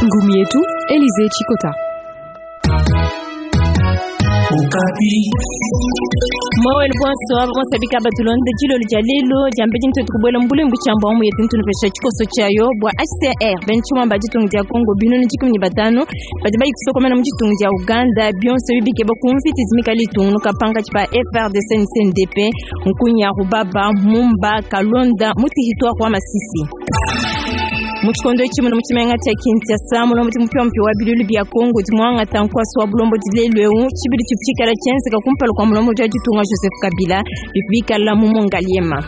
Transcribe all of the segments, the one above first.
Ngumi yetu Elize Chikota. Mowel bonsoir bonsabika batulonde dilolo dia lelo diambedi ntuetu kubuela mbulembu tshiamba mu yetu ntunupesha tshikoso tshiayo bua HCR bena tshimamba ditunga dia Congo binunu 15 badi bayi kusokomena mu ditunga dia Uganda bionso bibikeba ku mvita idi mikale itungunuka pankatshi pa FARDC ne CNDP Nkunya Rubaba Mumba Kalonda mu territoire wa Masisi. Mu tshikondo etshi muno mu tshimenga tshia Kinshasa mulombodi mupiamupia wa bilulu bia Congo udi muangata nkuasa wa bulombodi lelu eu tshibidi tshivu tshikala tshienzeka kumpala kua mulombodi wa ditunga Joseph Kabila bivu bikala mu Mongaliema.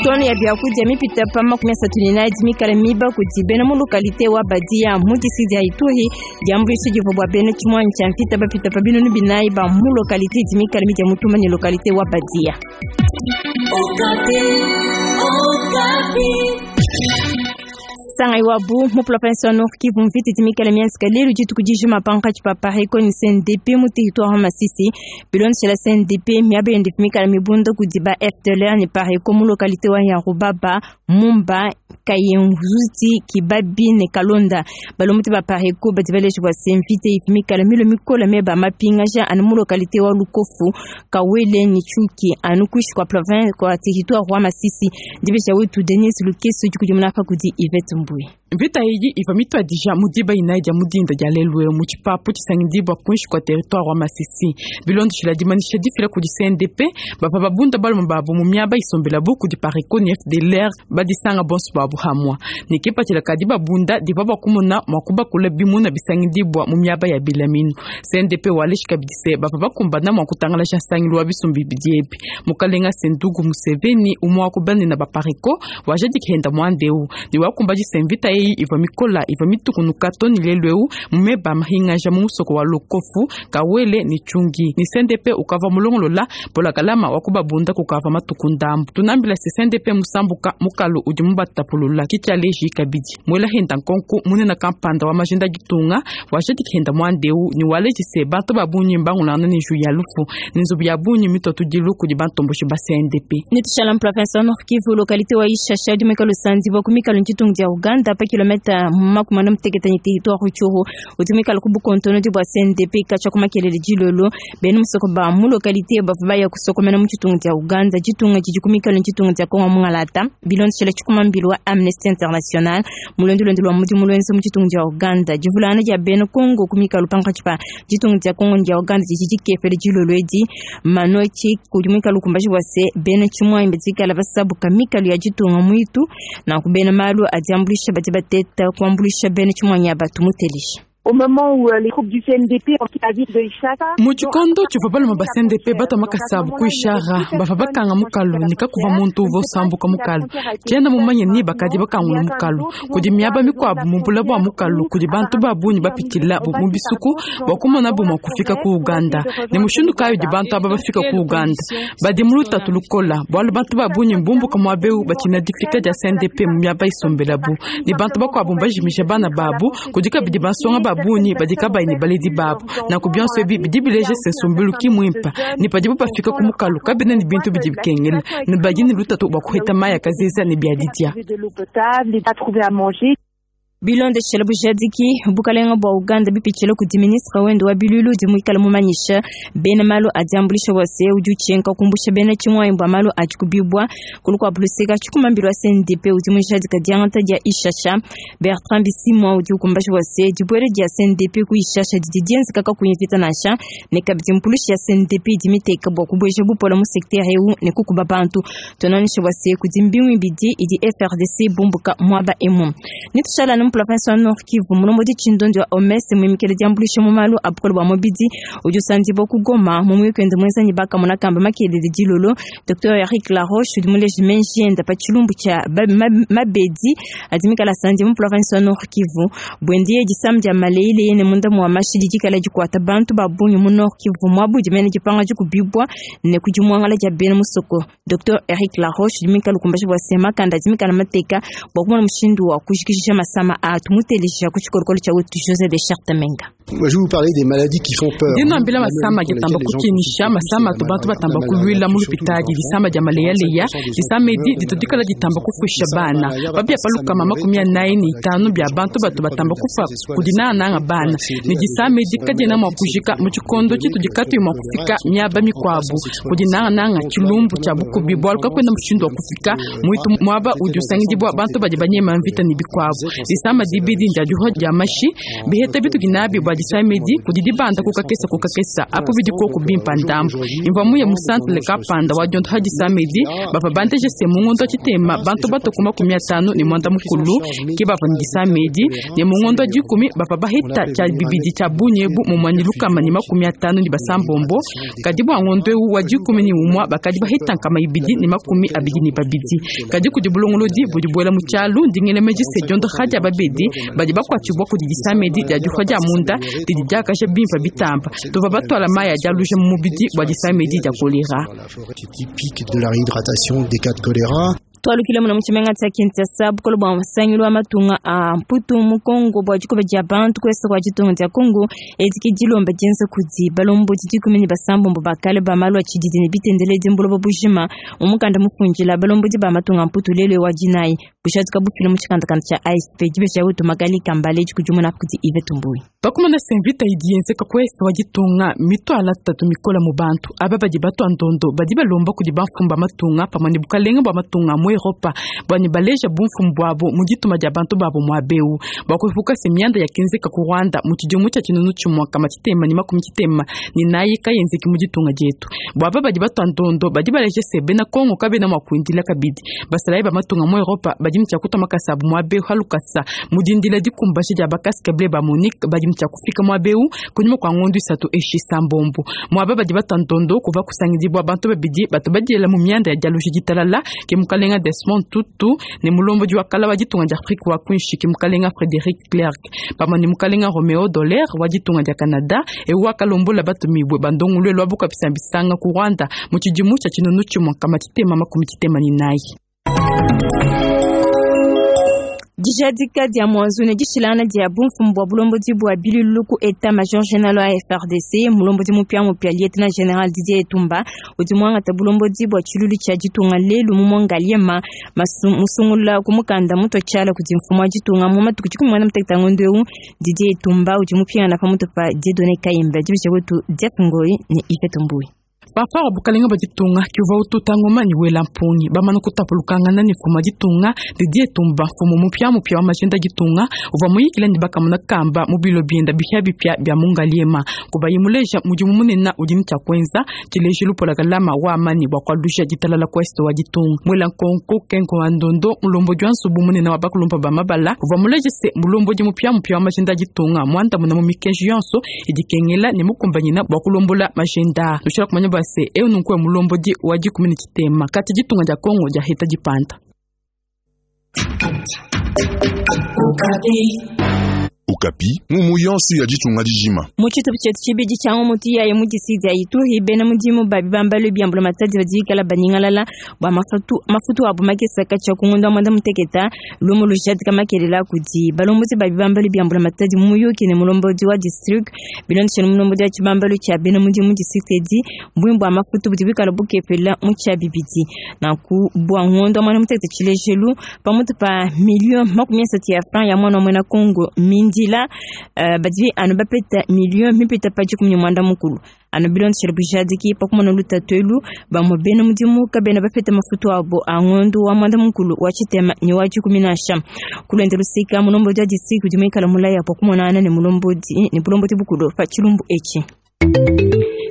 Tone ya biakudia mipita pa 34 mikala miba kudi bena mu localité wa Badia mu district dia Ituri diambuluisha divua bua bena tshimuanyi tshia mvita bapita pa 4000 ba mu localité idi mikala midia mutuma ne localité wa Badia. Sangai wabu mu province wa Nord Kivu mvita idi mikale mienzeka lelu dituku dijima pankatshi pa Pareco ne CNDP mu territoire wa Masisi. Bilondeshela CNDP miaba yende mikale mibunda kudi ba FDLR ne Pareco mu localité wa Yarubaba, Mumba, Kayenzuti, Kibabi ne Kalonda. Balombodi ba Pareco badi baleja bua se mvita idi mikale milo mikola meba mapingaja anu mu localité wa Lukofu, Kawele ne Chuki anu kuishi kwa province kwa territoire wa Masisi. Dibesha wetu Denis Lukeso udi kudimuna pa kudi Yvette Mbui. Mvita iyi iva mituadija mu diba inayi dia mu dinda dia lelu eu mu tshipapu tshisangidibua kuinshi kua territoire wa Masisi. Bilondeshila dimanyisha difila kudi CNDP, bavua babunda balume babu mu miaba isombelabu kudi Pareco ne FDLR badisanga bonso babu hamua. Ne kipatshila ka dibabunda divua bua kumona mua kubakula bimuna bisangidibua mu miaba ya bilaminu. CNDP waleji kabidi se bavua bakumbana mua kutangalaja nsangilu wa bisumbu bibidi ebi. Mukalenga Sendugu Museveni umue wa ku banene ba Pareco wajadiki henda muanda eu ne wakumbaji se mvita eyi ivua mikola ivua mitukunuka to ne lelu eu mu meba mahingaja mu musoko wa Lukofu, Kawele ne Tshungi. Ne CNDP ukavua mulongolola polakalama wa kubabunda kukavua matuku ndambu. Tunambila se CNDP musambuka mukalu udi mubatapulula kitshialeji kabidi muela henda nkonku munene kampanda wa majinda ditunga wajadiki henda muanda eu ne waleji se bantu ba bungi mbangulangana ne njuyi ya lufu ne nzubu ya bungi mituatudilu kudi bantomboshi ba CNDP. Netushala mu province wa Nord Kivu localité wa Ishasha udi muikale usandibua ku mikalu ntshitungu dia Uganda pa kilomita 46 ne territoire Rutshuru udi muikale ku bukontonodi bua CNDP katshia ku makelele dilolo bena musoko ba mu localité bavua baya kusokomena mu tshitungu dia Uganda ditunga didi ku mikalu ntshitungu dia Kongo mungalata bilondeshela tshikumambilu wa Amnesty International mulondolondi lwa mudimu lwenza mu tshitungu dia Uganda divulangana dia bena Kongo ku mikalu pankatshi pa ditunga dia Kongo ne dia Uganda didi dikepele dilolo edi manoki kudi muikale ukumbaji bua se bena tshimuanyi badikala basabuka mikalu ya ditunga muitu nanku bena malu adi ambuluisha badi bateta kuambuluisha bena tshimuanyi aba tumutelisha. Au moment où les troupes du CNDP la ville de Ishara Mu tshikondo tshivua balume ba CNDP batua makasa abu ku Ishara, bavua bakanga mukalu ne kakuvua muntu uvua usambuka mukalu. Tshiena mumanye ni bakadi bakangula mukalu kudi miaba mikuabu mu bula bua mukalu kudi bantu ba bungi bapitshila mu bisuku bua kumonabu mua kufika ku Uganda. Ne mushindu kayi udi bantu aba bafika ku Uganda? Badi mu lutatu lukola bualu bantu ba bungi mbumbuka muaba eu batshina difika dia CNDP mu miaba isombelabu ne bantu bakuabu mbajimija bana babu kudi kabidi bansonga ba bungi badi kabayi ne baledi babu. Nanku bionso ebi bidi bileja se nsombelu ki muimpe ne padibu bafika ku mukalu kabena ne bintu bidi bikengela ne badi ne lutatu bua kuheta mayi a kazeza ne bia didia. de l'eau potable et pas trouver à manger. Bilondeshela bujadiki bukalenga bua Uganda bipitshila kudi ministre wende wa bilulu udi muikale mumanyisha bena malu adi ambuluisha bua se udi utshinka kumbusha bena tshimuanyi bua malu adi kubibua kulu kua buluseka tshikumambilu wa CNDP udi mujadika diangata dia Ishasha Bertrand Bisimwa udi ukumbaja bua se dibuela dia CNDP ku Ishasha didi dienzeka kakuyi mvita nansha ne kabidi mpulushi ya CNDP idi miteka bua kubueja bupola mu secteur eu ne kukuba bantu tunanisha bua se kudi mbingu ibidi idi FRDC bumbuka muaba emu. Netushala mu province wa Nord Kivu mulombodi tshindondi wa OMS muimikele diambuluisha mu malu a bukole bua mubidi udi usandibua ku Goma mu muyuki wende muenza ne bakamona kamba makelele dilolo Dr Eric Laroche udi muleje menji enda pa tshilumbu tshia mabedi adi mikala sandi mu province wa Nord Kivu buendiye disamu dia maleile ne munda mua mashi didi kala dikuata bantu ba bungi mu Nord Kivu muabu mene dipanga dikubibua ne kudi muangala dia bena musoko Dr Eric Laroche udi mikala ukumbaja bua se makanda adi mikala mateka bua kumona mushindu wa kujikijisha masama a tumutelisha ku tshikolokolo tshia wetu José de Chartamenga. Moi, je vais vous parler des maladies qui font peur. Ndi nuambila masama adi atamba kukinisha, masama atu bantu batamba kuluila mu lupitadi, disama dia maleyaleya, disama edi ditu dikala ditamba kufuisha bana. Pabia pa lukama 45 bia bantu batu batamba kufa kudi nangananga bana. Ne disama edi kadiena mua kujika mu tshikondo tshitudi katuyi mua kufika miaba mikuabu. Kudi nangananga tshilumbu tshia bukubi, bualu kakuena mushindu wa kufika muitu muaba udi usangidibua bantu badi banyema mvita ne bikuabu. Disama dibidi ndia dihua dia mashi, biheta bitudi nabi bua disama edi kudi dibanda ku kakesa ku kakesa apo bidi koku bimpa ndambu. Imvua muye mu centre kampanda wa diondoha disama edi, bavua bandeje se mu ngondo wa tshitema bantu batue ku 54 ke bavua ne disama edi, ne mu ngondo wa dikumi bavua baheta tshia bibidi tshia bungi ebu mumue ne 156, kadi bua ngondo eu wa 11 bakadi baheta 222. Kadi kudi bulongolodi budi buela mu tshialu ndi ngela meji se diondoha dia babedi badi bakuatshibua kudi disama edi dia dihua dia munda didi diakaja bimpa bitamba. Tuvua batuala mayi adi aluja mu mubidi bua disama edi dia kolera. Typique de la réhydratation des cas de choléra. Twalukile muna mu tshimenga tshia Kinshasa, bukole bua nsangilu wa matunga a Mputu mu Kongo bua dikuba dia bantu ku est kua ditunga dia Kongo. Edi ke dilomba dienza kudi balombodi 16 ba kale ba malu a tshididi ne bitendeledi mbuloba bujima mu mukanda mufundila balombodi ba matunga a Mputu lelu wa dinayi bushadika bufila mu tshikandakanda tshia AFP. Dibesha wetu Magali Kambale dikudimuna kudi Yvette Mbuyi. Pakumana se mvita idi yenzeka ku est wa ditunga mituala tatu mikola mu bantu aba badi batua ndondo badi balomba kudi bamfumu ba matunga pamue ne bukalenga bua matunga mu Europa bua ne baleja bumfumu buabu mu dituma dia bantu babo muaba eu bua kuepuka se mianda yakenzeka ku Rwanda mu tshidimu tshia 1994 kayenzeki mu ditunga dietu. Bua aba badi batua ndondo badi baleja se bena Kongo kabena mua kuindila kabidi basalayi ba matunga mu Europa badi ne tshia kutua makasa abu muaba eu halukasa mu dindila dikumbaja dia bakaske bleu ba MONUC badi ne tshia kufika muaba eu kunyima kua ngondo isatu eshi sambombo. Muaba badi batua ndondo kuva kusangidibua bantu babidi batu badiela mu mianda ya dialoji ditalala ke mukalenga Desmond Tutu ne mulombodi wa kala wa ditunga dia Afrika wa kuinshi ke mukalenga Frederic Klerk pamue ne mukalenga Romeo Dallaire wa ditunga dia Canada eu wakalombola batumibue bandongoluelu wa bukua bisanga ku Rwanda mu tshidimu tshia 1994. Dijadika dia mwanzu ne dishilangana dia bumfumu bua bulombodi bua biluilu ku état major général wa FARDC. Mulombodi mupia mupia lieutenant général Didier Etumba udi muangata bulombodi bua tshiluilu tshia ditunga lelu mu Ngaliema musungula ku mukanda mutua tshiala kudi mfumu wa ditunga mu matuku 16 ngondo eu. Didier Etumba udi mupingana pamutu pa Dieudonné Kayimba. Dibisha wetu Jeff Ngoi ne Yvette Mbuyi. Fanfare wa bukalenga bua ditunga kiuvua ututa ngoma ne wela mpungi bamana kutapulukangana ne mfumu wa ditunga Didier Etumba. Mfumu mupiamupia wa majenda ditunga uvua muyikila ne bakamona kamba mu bilo bienda bipiabipia bia mu Ngaliema kubayi muleja mudimu munene udi ne tshia kuenza tshilejilu polakalama wa amani bua kualusha ditalala ku est wa ditunga. Muela nkonko Kengo wa Ndondo mulombodi wa nsubu munene wa bakulumpa ba mabala uvua muleje se mulombodi mupiamupia wa majenda ditunga muandamuna mu mikenji yonso idi kengela ne mukumbanyina bua kulombola majenda. Tushila kumanya bua se eu nunku mulombodi wa 13 kati ditunga dia Kongo dia heta dipanda. Okapi, ngumu yonso ya ditunga dijima. Mu tshitupa tshietu tshibidi tshia ngumu tuyaye mu disidi ya Ituri, bena mudimu ba bibambalu bia mbulamatadi badi bikala banyingalala bua mafutu abu makesa katshia ku ngondo wa 16. Lumu lujadika makelela kudi balombodi ba bibambalu bia mbulamatadi mu muyuki ne mulombodi wa district bilondeshele mulombodi wa tshibambalu tshia bena mudimu district edi mbwimbu bua mafutu budi bikala bukepela mu tshia bibidi. Nanku bua ngondo wa 16 tshilejelu pamutu pa 30 millions ya franc ya mwana wa muena Kongo mindila badi anu bapeta million mipita pa 15 anu bilondeshele bujadiki pakumona lutatu elu bamue bena mudimu kabena bapeta mafutu abo a ngondo wa 16 wa tshitema ne wa dikumi nansha. Kulwende lusika mulombodi wa district udi muikala mulaya pakumonana ne mulombodi ne bulombodi bukulu pa tshilumbu etshi.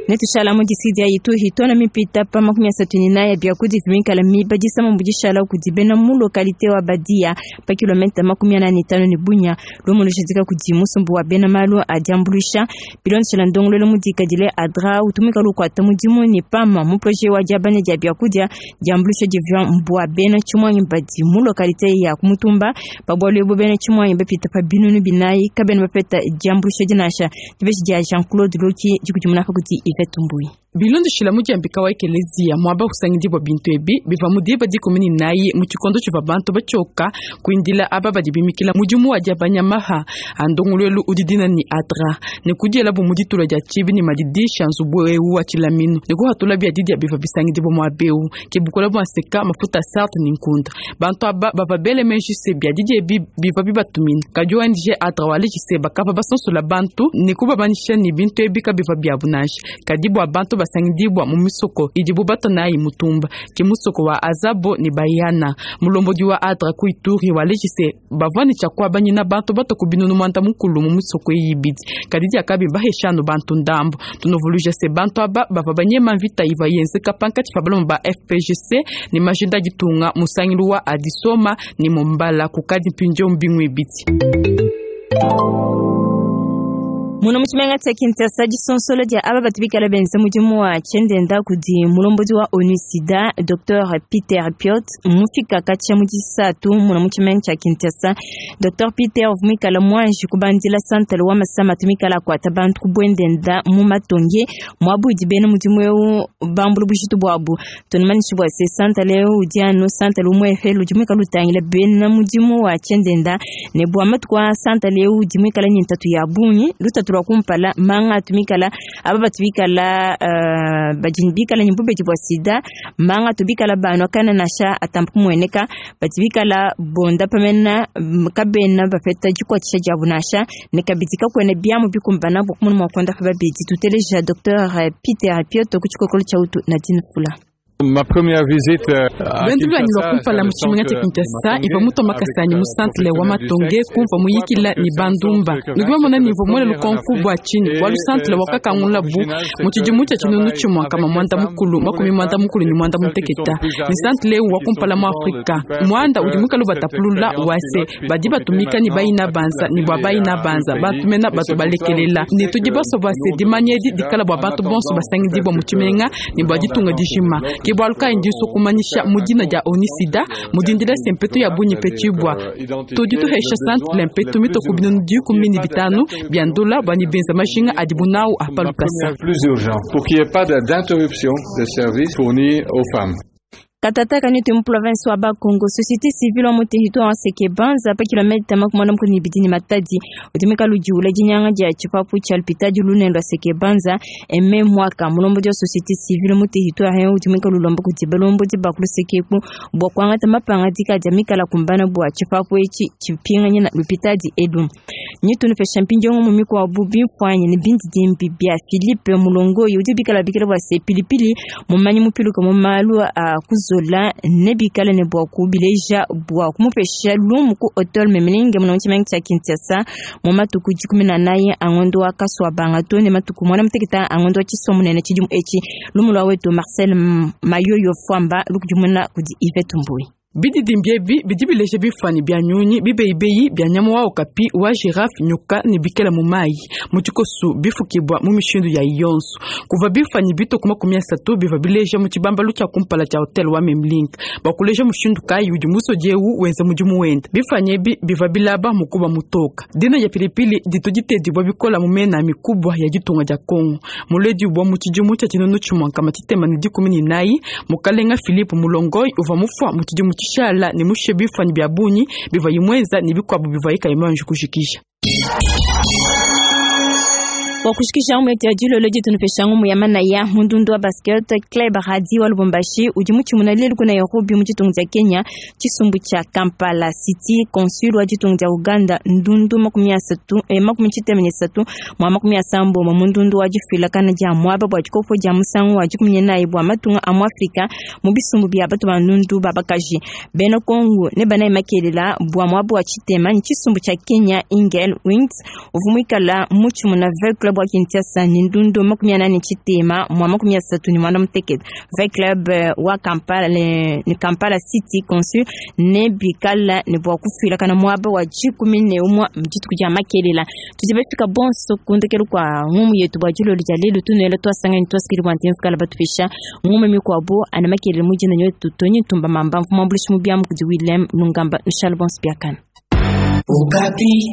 Netushala mu disidi ya Ituri tona mipita pa 34 biakudi vimikala miba disama mbudishala kudi bena mu localité wa Badia pa kilomita 45 ne Bunia. Lumu lushadika kudi musumbu wa bena malu a diambuluisha bilondeshela ndongololo mudikadile ADRA utumika lukuata mudimu ne pama mu projet wa diabanya dia biakudia diambuluisha divya mbua bena tshimwanyi badi mu localité ya Kumutumba. Pa bualu ebu bena tshimwanyi bapita pa 4000 kabena bapeta diambuluisha dinasha. Dibeshi dia Jean Claude Loki dikudimuna kudi Yvette Mbuyi. Bilondeshila mudiambika wa ekeleziya muaba usangidibua bintu ebi bivua mu diba 14 mu tshikondo tshivua bantu batshioka kuindila aba badi bimikila mudimu wa diabanya maha a ndongoluelu udi dina ni ADRA ne kudiela bu mu ditula dia tshibi ne madidisha nzubu eu wa tshilaminu ne kuhatula bia didia bivua bisangidibua muaba eu ke bukola bua nseka mafuta sarte ne nkunda. Bantu aba bavua bele meji se bia didia ebi bivua bibatumina kadi ONG ADRA waleji se bakavua basonsola bantu ne kubamanyisha ne bintu ebi kabivua biabu nansha kadi bua bantu basangidibua mu misoko idibu batanayi mutumba ke musoko wa Azabo ne Bayana. Mulombodi wa ADRA ku Ituri waleji se bavua ne tshia kuabanyina bantu batoku binunu mwanda mukulu mu misoko eyi ibidi kadi diakabi baheshanu bantu ndambo. Tunovuluja se bantu aba bavua banyema mvita iva yenzeka pankatshi pa balomo ba FPGC ne majinda ditunga musangilu wa Adisoma ne Mombala kukadi mpindieu mbingu ibidi. Muno mu tshimenga tshia Kinshasa disonsola dia aba batu bikala benza mudimu wa tshiendenda kudi mulombodi wa ONU Sida Dr Peter Piot mufika katshia mu disatu muno mu tshimenga tshia Kinshasa. Dr Peter uvua muikala muanji kubandila santale wa masama atu mikala akuata bantu ku buendenda mu matonge muabu udi bena mudimu eu bambula bujitu buabu. Tunumanyishe bua se santale eu udi anu santale umuepele udi muikala utangila bena mudimu wa tshiendenda ne bua matuku a santale eu udi muikala ne ntatu ya bungi. Lutatu lwa kumpala manga atumikala aba batubikala badi bikala ne bubedi bua sida manga tubikala banwa kana nasha atampa kumueneka batubikala bonda pamena kabena bapeta dikuatshisha diabu nasha ne kabidi kakuena biamu bikumbana bua kumona mua kuonda pa babedi. Tuteleja Dr Peter Piotr ku tshikokolo tshia utu Nadine Fula. Ma première visite à Lwendu lwanyi lwa Kinshasa, kumpala mu tshimenga tshia Kinshasa ivua mutua makasanyi mu centre wa Matonge kumvua muyikila ne bandumba nudi bamona ne ivua muele lukonku bua tshinyi bualu centre wakakangula bu mu tshidimu tshia tshinunu tshimue kama mwanda mukulu 161 ne centre eu wa kumpala mu Afrika muanda udi muikale batapulula wase badi batumika ne bayina banza ne bua bayina banza bantu mena batu balekelela ne tudi basua bua se dimanya edi dikala bua bantu bonso basangidibua mu tshimenga ne bua ditunga dijima. Ke bualu kayi ndiso kumanyisha mu dina dia ONU Sida mu dindila se mpetu ya bungi petshibua tudi tuhesha centre mpetu mitoku binunu 15 bia ndula bua ne benza majinga adibu nawu apa lukasa. Plus urgent pour qu'il n'y ait pas d'interruption des services fournis aux femmes. Katata kanitu mu province wa Bakongo société civile wa mu territoire wa Seke Banza pa kilomita 42 ne Matadi udi muikale udiwula dinyanga dia tshipapu tshia lupitadi lunene lua Seke Banza eme mwaka mulombodi wa société civile mu territoire eu udi muikale ulomba kudi balombodi ba ku lusekeku bua kuangata mapangadika dia mikala kumbana bua tshipapu etshi tshipinganyina lupitadi elu. Nyitunupesha mpindieu mu mikuabu bimfuanyi ne bindidimbi bia Philippe Mulongoyi udi bikala bikala bua se pilipili mumanyi mupiluka mu malu a kuzola ne bikala ne bua kubileja bua kumupesha lumu ku hotel Memlinge muno mu tshimenga tshia Kinshasa mu matuku 14 a ngondo wa kasua banga to ne matuku 16 a ngondo wa tshisomunene tshidimu etshi. Lumu lua wetu Marcel Mayoyo Fwamba lukudimuna kudi Yvette Mbuyi. Bididimbi ebi bidi bileja bimfuanyi bia nyunyi bibeyibeyi bia nyama wa okapi wa girafe nyoka ne bikela mu mayi mu tshikosu bifukibua mu mishindu ya yonso. Kuva bimfuanyi bitoku 30 bivua bileja mu tshibambalu tshia kumpala tshia hotel wa Memlink bua kuleja mushindu kayi udi musodi eu wenza mudimu wende. Bimfuanyi ebi bivua bilaba mukuba mutoka. Dina dia pilipili ditu ditedibua bikola mu mena mikubwa ya ditunga dia Kongo. Muledi ubua mu tshidimu tshia 1914 mukalenga Philippe Mulongoyi uvua mufua mu tshidimu tshishala ne mushe bimfuanyi bia bungi bivua imweza ne bikuabu bivua ikayimanji kujikija. Bua kushikisha ngumu yetu ya dilolo ditunupesha ngumu ya manaya mundundu wa basket Club Radi wa Lubumbashi udi mutshimuna lelu ku Nairobi mu ditunga dia Kenya tshisumbu tshia Kampala City Consul wa ditunga dia Uganda ndundu 33 mwa 80 mundundu wa difuilakana dia muaba bua dikopo dia musangu wa 14 bua matunga a mu Afrika mu bisumbu bia batu ba ndundu babakaji bena Kongo ne banayi makelela bua muaba wa tshitema ni tshisumbu tshia Kenya Eagle Wings uvua muikala mutshimuna V Club wa Kinshasa ni ndundu 83 mwa 39 V Club wa Kampala ni Kampala City Consul ne bikala ne bua kufuilakana muaba wa 11 mdituku dia makelela. Tudi bafika bonso kundekelu kwa ngumu yetu bua dilolo dia lelu tunuela twasangani twasikili bua ntemfu kala batupisha ngumu mikuabu ana makelela mujina nyotu tonyi ntumba mamba mfumu ambulishi mubiamu kudi William Lungamba nshal bonso biakana. Okapi.